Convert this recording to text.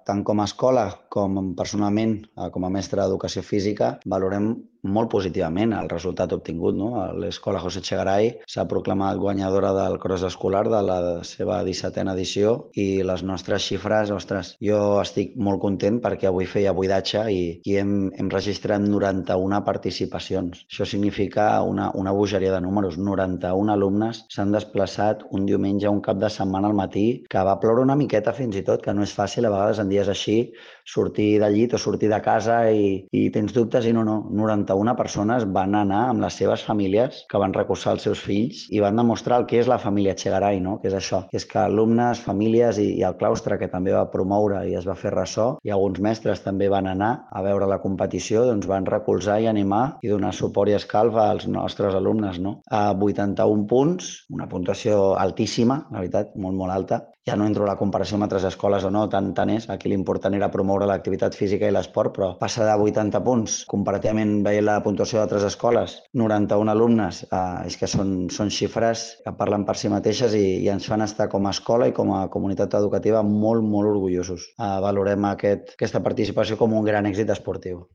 tant com a escola com personalment, com a mestre d'educació física, valorem molt positivament el resultat obtingut, no? L'escola José Echegaray s'ha proclamat guanyadora del cross escolar de la seva 17a edició i les nostres xifres, ostres, jo estic molt content perquè avui feia buidatge i hem registrat 91 participacions. Això significa una bogeria de números. 91 alumnes s'han desplaçat un diumenge, un cap de setmana al matí, que va ploure una miqueta fins i tot, que no és fàcil a vegades en dies així sortir del llit o sortir de casa i tens dubtes i no, 91 persones van anar amb les seves famílies que van recolzar els seus fills i van demostrar el que és la família Echegaray, no? Que és això, que és que alumnes, famílies i el claustre, que també va promoure i es va fer ressò, i alguns mestres també van anar a veure la competició, doncs van recolzar i animar i donar suport i escalf als nostres alumnes, no? A 81 punts, una puntuació altíssima, la veritat, molt, molt alta. Ja no entro a la comparació amb altres escoles o no, tant és. Aquí l'important era promoure l'activitat física i l'esport, però passar de 80 punts, comparativament veient la puntuació d'altres escoles, 91 alumnes, és que són xifres que parlen per si mateixes i ens fan estar com a escola i com a comunitat educativa molt, molt orgullosos. Valorem aquesta participació com un gran èxit esportiu.